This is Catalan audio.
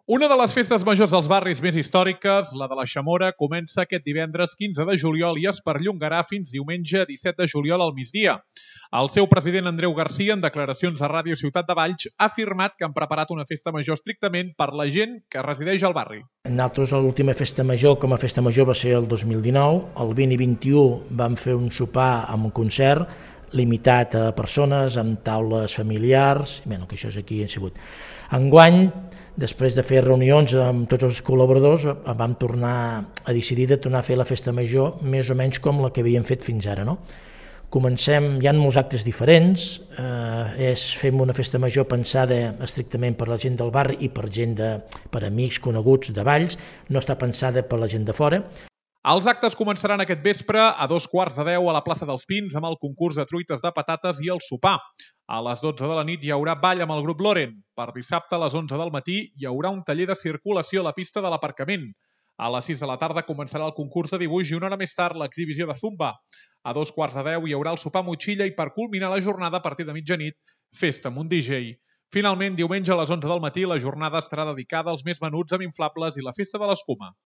Una de les festes majors dels barris més històriques, la de la Xamora, comença aquest divendres 15 de juliol i es perllongarà fins diumenge 17 de juliol al migdia. El seu president Andreu Garcia, en declaracions a Ràdio Ciutat de Valls, ha afirmat que han preparat una festa major estrictament per la gent que resideix al barri. Nosaltres l'última festa major com a festa major va ser el 2019, el 20 i 21 vam fer un sopar amb un concert limitat a persones, amb taules familiars, que això és aquí ha sigut. Enguany, després de fer reunions amb tots els col·laboradors, vam tornar a decidir de tornar a fer la festa major més o menys com la que havíem fet fins ara. Comencem, hi ha molts actes diferents, fem una festa major pensada estrictament per la gent del barri i per amics coneguts de Valls, no està pensada per la gent de fora. Els actes començaran aquest vespre a 9:45 a la plaça dels Pins amb el concurs de truites de patates i el sopar. A les 12 de la nit hi haurà ball amb el grup Loren. Per dissabte a les 11 del matí hi haurà un taller de circulació a la pista de l'aparcament. A les 6 de la tarda començarà el concurs de dibuix i una hora més tard l'exhibició de zumba. A 9:15 hi haurà el sopar motxilla i per culminar la jornada a partir de mitjanit, festa amb un DJ. Finalment, diumenge a les 11 del matí la jornada estarà dedicada als més menuts amb inflables i la festa de l'escuma.